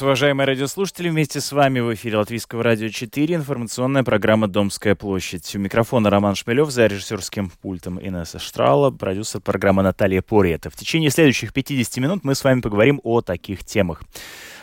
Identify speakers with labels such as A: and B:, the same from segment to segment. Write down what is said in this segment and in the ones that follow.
A: Уважаемые радиослушатели, вместе с вами в эфире Латвийского радио 4, информационная программа «Домская площадь». У микрофона Роман Шмелев, за режиссерским пультом Инесса Штрала, продюсер программы Наталья Порета. В течение следующих 50 минут мы с вами поговорим о таких темах.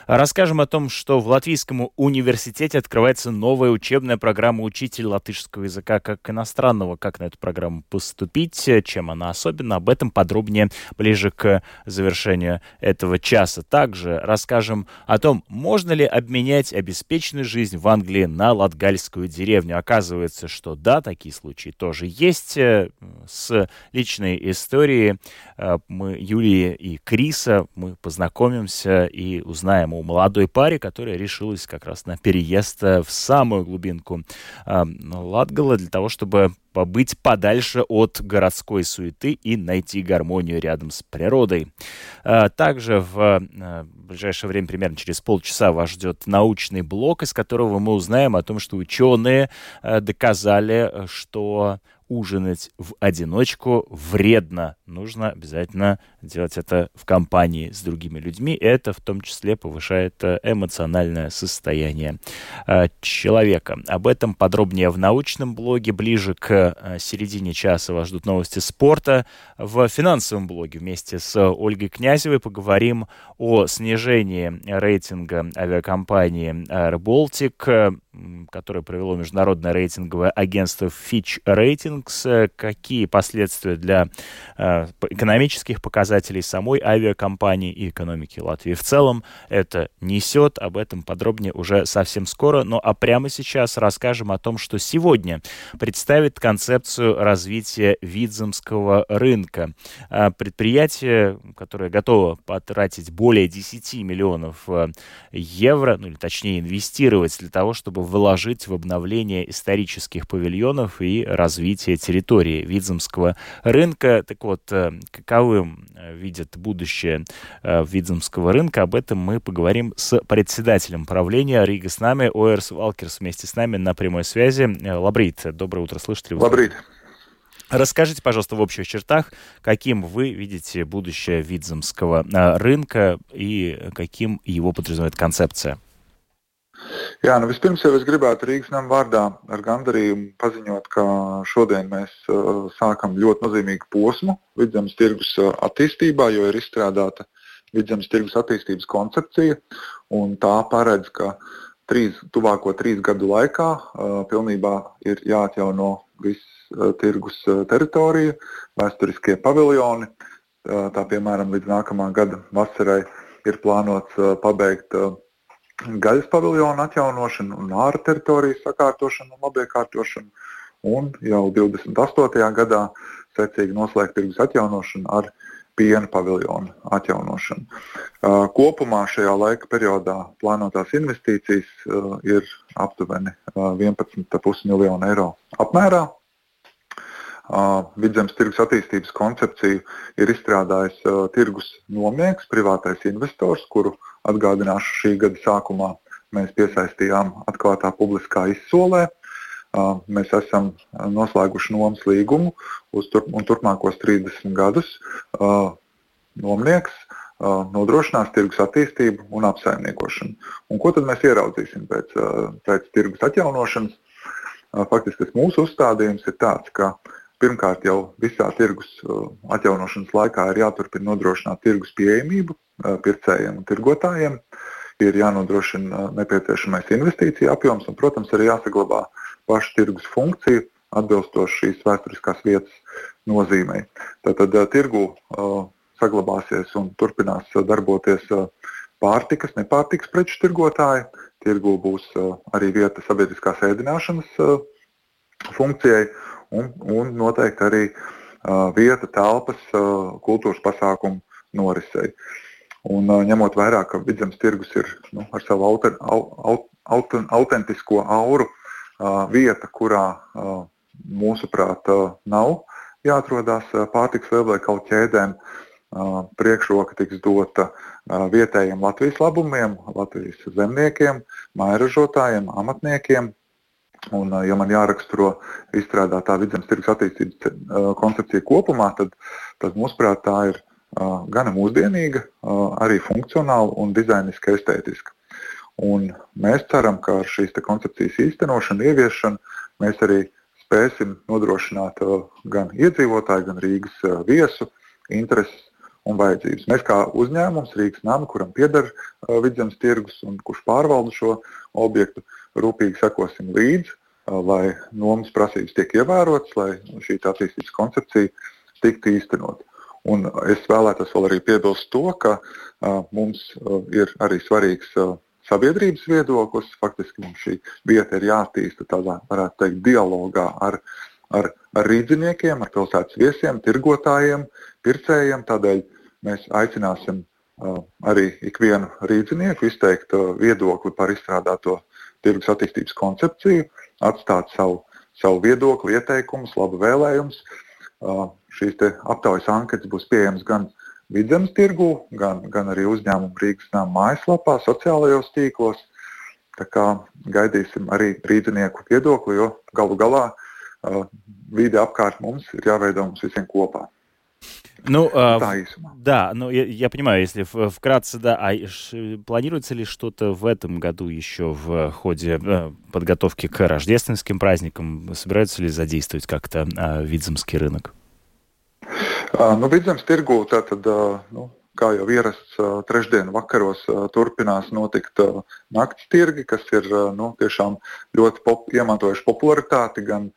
A: Расскажем о том, что в Латвийском университете открывается новая учебная программа «Учитель латышского языка как иностранного». Как на эту программу поступить, чем она особенна, об этом подробнее ближе к завершению этого часа. Также расскажем о том, можно ли обменять обеспеченную жизнь в Англии на латгальскую деревню. Оказывается, что да, такие случаи тоже есть. С личной историей Юлии и Криса мы познакомимся и узнаем о молодой паре, которая решилась как раз на переезд в самую глубинку Латгала для того, чтобы побыть подальше от городской суеты и найти гармонию рядом с природой. Также в ближайшее время, примерно через полчаса, вас ждет научный блок, из которого мы узнаем о том, что ученые доказали, что ужинать в одиночку вредно. Нужно обязательно делать это в компании с другими людьми. Это в том числе повышает эмоциональное состояние человека. Об этом подробнее в научном блоге. Ближе к середине часа вас ждут новости спорта. В финансовом блоге вместе с Ольгой Князевой поговорим о снижении рейтинга авиакомпании Air Baltic, которое провело международное рейтинговое агентство Fitch Ratings. Какие последствия для экономических показателей самой авиакомпании и экономики Латвии в целом это несет. Об этом подробнее уже совсем скоро. Ну а прямо сейчас расскажем о том, что сегодня представит концепцию развития Видземского рынка. Предприятие, которое готово потратить более 10 миллионов евро, ну или точнее инвестировать для того, чтобы вложить в обновление исторических павильонов и развитие территории Видземского рынка. Так вот, каковым видят будущее Видземского рынка, об этом мы поговорим с председателем правления Рига с нами, Оэрс Валкерс, вместе с нами на прямой связи. Лабрит, доброе утро, слышите ли вы?
B: Лабрит.
A: Расскажите, пожалуйста, в общих чертах, каким вы видите будущее Видземского рынка и каким его подразумевает концепция?
B: Jā, vispirms jau es gribētu Rīgas nama vārdā ar gandarījumu paziņot, ka šodien mēs sākam ļoti nozīmīgu posmu Vidzemes tirgus attīstībā, jo ir izstrādāta Vidzemes tirgus attīstības koncepcija, un tā paredz, ka tuvāko 3 gadu laikā pilnībā ir jāatjauno viss tirgus teritorija, vēsturiskie paviljoni. Tā piemēram līdz nākamā gada vasarai ir plānots pabeigt gaļas paviljonu atjaunošanu un ārā teritorijas sakārtošanu un labiekārtošanu, un jau 28. gadā secīgi noslēgt tirgus atjaunošanu ar piena paviljonu atjaunošanu. Kopumā šajā laika periodā plānotās investīcijas ir aptuveni 11,5 miljonu eiro apmērā. Vidzemes tirgus attīstības koncepciju ir izstrādājis tirgus nomnieks, privātais investors, kuru atgādināšu šī gada sākumā mēs piesaistījām atklātā publiskā izsolē. Mēs esam noslēguši nomas līgumu un turpmākos 30 gadus. Nomnieks nodrošinās tirgus attīstību un apsaimniekošanu. Un ko tad mēs ieraudzīsim pēc tirgus atjaunošanas? Faktiski tas mūsu uzstādījums ir tāds, ka pirmkārt jau visā tirgus atjaunošanas laikā ir jāturpina nodrošināt tirgus pieejamību pircējiem un tirgotājiem, ir jānodrošina nepieciešamais investīcija apjoms un, protams, arī jāsaglabā pašu tirgus funkciju atbilstoši šīs vēsturiskās vietas nozīmei. Tātad tirgu saglabāsies un turpinās darboties pārtikas, nepārtikas preču tirgotāji. Tirgu būs arī vieta sabiedriskās ēdināšanas funkcijai un noteikti arī vieta telpas kultūras pasākumu norisei. Un ņemot vērā, ka Vidzemes tirgus ir ar savu autentisko auru vieta, kurā mūsuprāt nav jāatrodās pārtikas lielveikalu ķēdēm, priekšroka tiks dota vietējiem Latvijas labumiem, Latvijas zemniekiem, mājražotājiem, amatniekiem. Un, ja man jāraksturo izstrādātā Vidzemes tirgus attīstības koncepcija kopumā, tad mūsuprāt tā ir gana mūsdienīga, arī funkcionāla un dizainiski estētiska. Un mēs ceram, ka ar šīs koncepcijas īstenošanu, ieviešanu mēs arī spēsim nodrošināt gan iedzīvotāju, gan Rīgas viesu intereses un vajadzības. Mēs kā uzņēmums Rīgas nama, kuram pieder Vidzemes tirgus un kurš pārvalda šo objektu, rūpīgi sekosim līdzi, lai nomas prasības tiek ievērotas, lai šī attīstības koncepcija tiktu īstenot. Un es vēlētos vēl arī piebilst to, ka mums ir arī svarīgs sabiedrības viedoklis. Faktiski mums šī vieta ir jāattīsta tādā, varētu teikt, dialogā ar rīdziniekiem, ar pilsētas viesiem, tirgotājiem, pircējiem. Tādēļ mēs aicināsim arī ikvienu rīdzinieku izteikt viedokli par izstrādāto tirgus attīstības koncepciju, atstāt savu viedokli, ieteikumus, labu vēlējumus. Šīs aptaujas anketas būs pieejamas gan Vidzemes tirgū, gan arī uzņēmumu Rīgas nama mājaslapā, sociālajos tīklos. Tā kā gaidīsim arī rīdzinieku viedokli, jo galu galā vide apkārt mums ir jāveido mums visiem kopā.
A: Да, я понимаю, если вкратце, да, планируется ли что-то в этом году еще в ходе подготовки к рождественским праздникам? Собираются ли задействовать как-то Vidzemes рынок?
B: Vidzemes tirgū tātad, kā jau ierasts, trešdien vakaros turpinās notikt nakts tirgi, kas ir tiešām ļoti iemantojuši popularitāti gan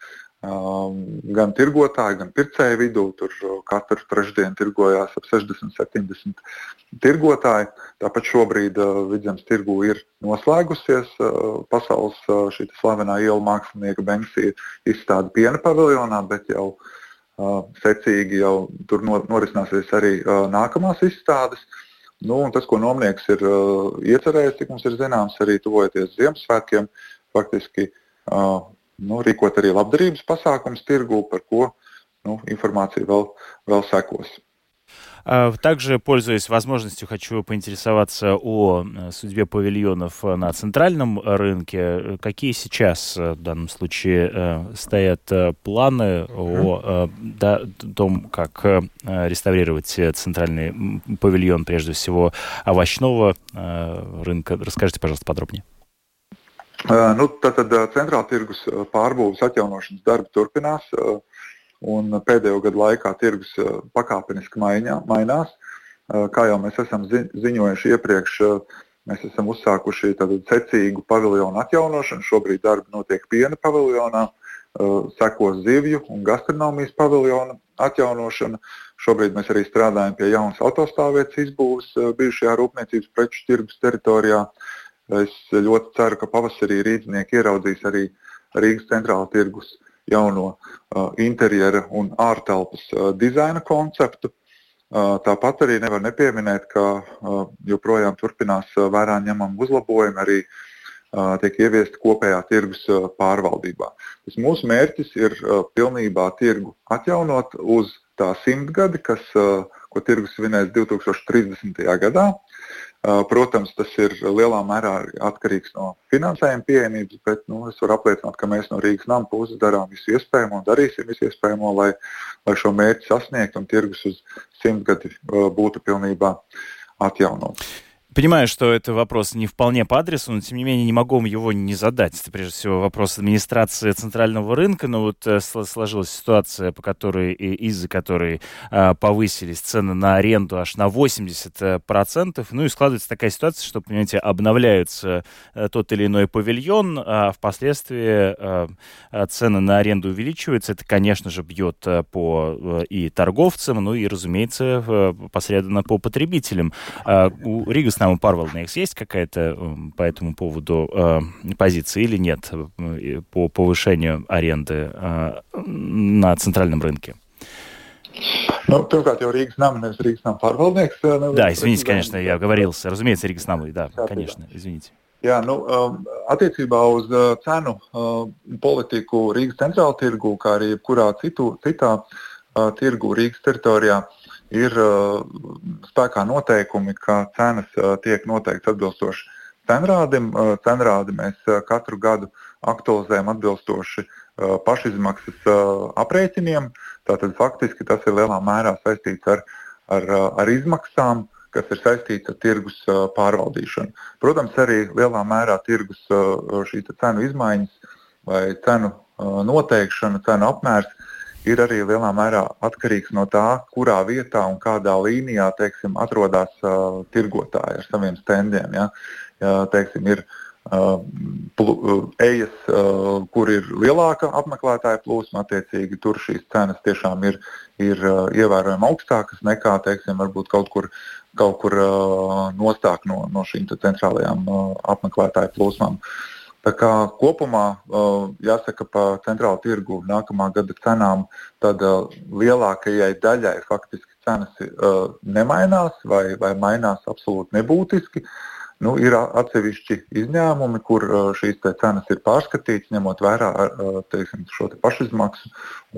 B: tirgotāju, gan pircēju vidū. Tur katru trešdienu tirgojās ap 60-70 tirgotāji. Tāpat šobrīd Vidzemes tirgū ir noslēgusies pasaules šī slavenā ielu mākslinieka Banksy izstāde piena paviljonā, bet jau secīgi jau tur norisināsies arī nākamās izstādes. Un tas, ko nomnieks ir iecerējis, cik mums ir zināms, arī tuvojoties Ziemassvētkiem, faktiski rīkot arī labdarības pasākums tirgū, par ko информация vēl sekos.
A: Также, пользуясь возможностью, хочу поинтересоваться о судьбе павильонов на центральном рынке. Какие сейчас в данном случае стоят планы о том, как реставрировать центральный павильон, прежде всего овощного рынка? Расскажите, пожалуйста, подробнее.
B: Tātad centrāla tirgus pārbūves atjaunošanas darbi turpinās. Un pēdējo gadu laikā tirgus pakāpeniski mainās. Kā jau mēs esam ziņojuši iepriekš, mēs esam uzsākuši secīgu paviljonu atjaunošanu. Šobrīd darbi notiek piena paviljonā, sekos zivju un gastronomijas paviljona atjaunošana. Šobrīd mēs arī strādājam pie jaunas autostāvvietas izbūves bijušajā rūpniecības preču tirgus teritorijā. Es ļoti ceru, ka pavasarī rīdznieki ieraudzīs arī Rīgas centrāla tirgus jauno interjera un ārtelpas dizaina konceptu. Tāpat arī nevar nepieminēt, ka joprojām turpinās vērā ņemami uzlabojumi, arī tiek ieviesti kopējā tirgus pārvaldībā. Tas mūsu mērķis ir pilnībā tirgu atjaunot uz tā 100 gadi, ko tirgus svinēs 2030. gadā. Protams, tas ir lielā mērā atkarīgs no finansējuma pieejamības, bet es varu apliecināt, ka mēs no Rīgas nama puses darām visu iespējamo un darīsim visu iespējamo, lai šo mērķi sasniegtu un tirgus uz 100 gadi būtu pilnībā atjaunots.
A: Понимаю, что это вопрос не вполне по адресу, но тем не менее не могу его не задать. Это прежде всего вопрос администрации центрального рынка, но вот сложилась ситуация, из-за которой повысились цены на аренду аж на 80%. И складывается такая ситуация, что, понимаете, обновляется тот или иной павильон, а впоследствии цены на аренду увеличиваются. Это, конечно же, бьет по и торговцам, и, разумеется, посредственно по потребителям. У Рīgas nama pārvaldnieks есть какая-то по этому поводу позиция или нет по повышению аренды на центральном рынке?
B: Pirmkārt, jau Rīgas nama, nevis Rīgas nama pārvaldnieks.
A: Да, извините, конечно, я оговорился. Разумеется, Rīgas nama, да, конечно, извините.
B: Jā, attiecībā uz cenu politiku Rīgas centrāla tirgu, kā arī jebkurā citā tirgu Rīgas teritorijā, ir spēkā noteikumi, ka cenas tiek noteikts atbilstoši cenrādim. Cenrādi mēs katru gadu aktualizējam atbilstoši pašizmaksas aprēķiniem. Tātad faktiski tas ir lielā mērā saistīts ar izmaksām, kas ir saistīts ar tirgus pārvaldīšanu. Protams, arī lielā mērā tirgus šīs cenu izmaiņas vai cenu noteikšana, cenu apmērs ir arī lielā mērā atkarīgs no tā, kurā vietā un kādā līnijā, teiksim, atrodas tirgotāji ar saviem standiem. Ja? Teiksim, ir ejas, kur ir lielāka apmeklētāja plūsma, attiecīgi tur šīs cenas tiešām ir ievērojami augstākas nekā, teiksim, varbūt kaut kur nostāk no šīm centrālajām apmeklētāju plūsmām. Tā kā kopumā jāsaka pa centrālu tirgu nākamā gada cenām, tad lielākajai daļai faktiski cenas nemainās vai mainās absolūti nebūtiski. Ir atsevišķi izņēmumi, kur šīs cenas ir pārskatītas, ņemot vērā teiksim, šo pašizmaksu